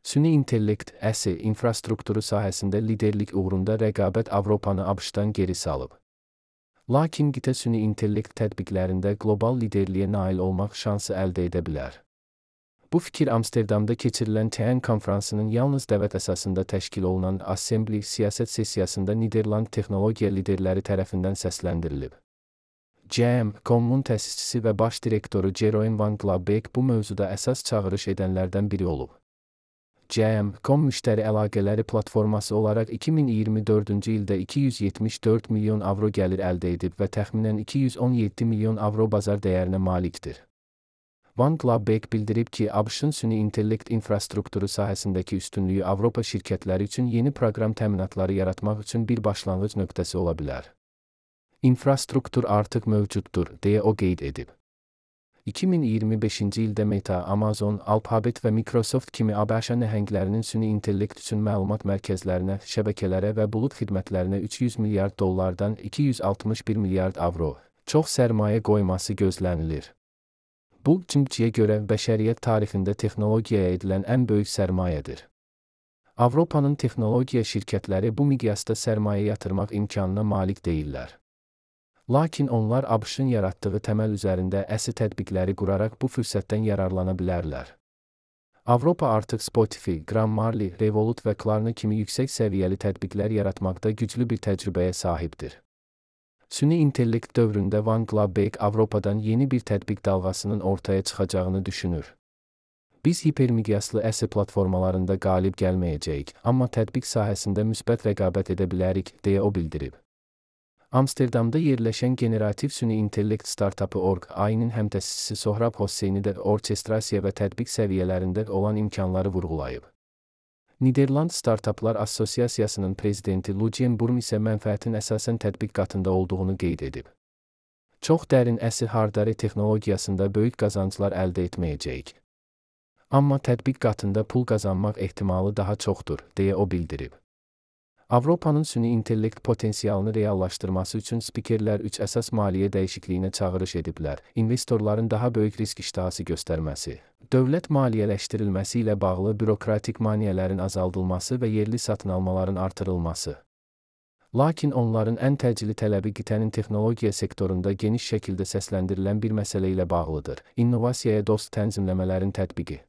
Süni intellekt, infrastrukturu sahəsində liderlik uğrunda rəqabət Avropanı ABŞ-dan geri salıb. Lakin qitə süni intellekt tətbiqlərində qlobal liderliyə nail olmaq şansı əldə edə bilər. Bu fikir Amsterdamda keçirilən TN konfransının yalnız dəvət əsasında təşkil olunan Assembly siyasət sessiyasında Niderland texnologiya liderləri tərəfindən səsləndirilib. GM.com-un təsisçisi və baş direktoru Jeroen van Glabbeek bu mövzuda əsas çağırış edənlərdən biri olub. GM.com müştəri əlaqələri platforması olaraq 2024-cü ildə 274 milyon avro gəlir əldə edib və təxminən 217 milyon avro bazar dəyərinə malikdir. Van Glabbeek bildirib ki, ABŞ-ın süni intellekt infrastrukturu sahəsindəki üstünlüyü Avropa şirkətləri üçün yeni proqram təminatları yaratmaq üçün bir başlanğıc nöqtəsi ola bilər. İnfrastruktur artıq mövcuddur, deyə o qeyd edib. 2025-ci ildə Meta, Amazon, Alphabet və Microsoft kimi ABŞ nəhənglərinin süni intellekt üçün məlumat mərkəzlərinə, şəbəkələrə və bulud xidmətlərinə $300 milyard 261 milyard avro çox sərmayə qoyması gözlənilir. Bu, Cimciyə görə bəşəriyyət tarixində texnologiyaya edilən ən böyük sərmayədir. Avropanın texnologiya şirkətləri bu miqyasda sərmayə yatırmaq imkanına malik deyillər. Lakin onlar ABŞ-ın yaratdığı təməl üzərində tətbiqləri quraraq bu fürsətdən yararlana bilərlər. Avropa artıq Spotify, Grammarly, Revolut və Klarna kimi yüksək səviyyəli tətbiqlər yaratmaqda güclü bir təcrübəyə sahibdir. Süni intellekt dövründə Van Glabbeek Avropadan yeni bir tətbiq dalğasının ortaya çıxacağını düşünür. Biz hipermiqyaslı platformalarında qalib gəlməyəcəyik, amma tətbiq sahəsində müsbət rəqabət edə bilərik, deyə o bildirib. Amsterdamda yerləşən generativ süni intellekt startapı Org.ai-nin həmtəsisçisi Sohrab Hosseyni də orkestrasiya və tətbiq səviyyələrində olan imkanları vurğulayıb. Niderland Startaplar Assosiasiyasının prezidenti Lucien Burm isə mənfəətin əsasən tətbiq qatında olduğunu qeyd edib. Çox dərin hardware texnologiyasında böyük qazanclar əldə etməyəcəyik. Amma tətbiq qatında pul qazanmaq ehtimalı daha çoxdur, deyə o bildirib. Avropanın süni intellekt potensialını reallaşdırması üçün spikerlər 3 əsas maliyyə dəyişikliyinə çağırış ediblər: investorların daha böyük risk iştahası göstərməsi, dövlət maliyyələşdirilməsi ilə bağlı bürokratik maneələrin azaldılması və yerli satın almaların artırılması. Lakin onların ən təcili tələbi qitənin texnologiya sektorunda geniş şəkildə səsləndirilən bir məsələ ilə bağlıdır: innovasiyaya dost tənzimləmələrin tətbiqi.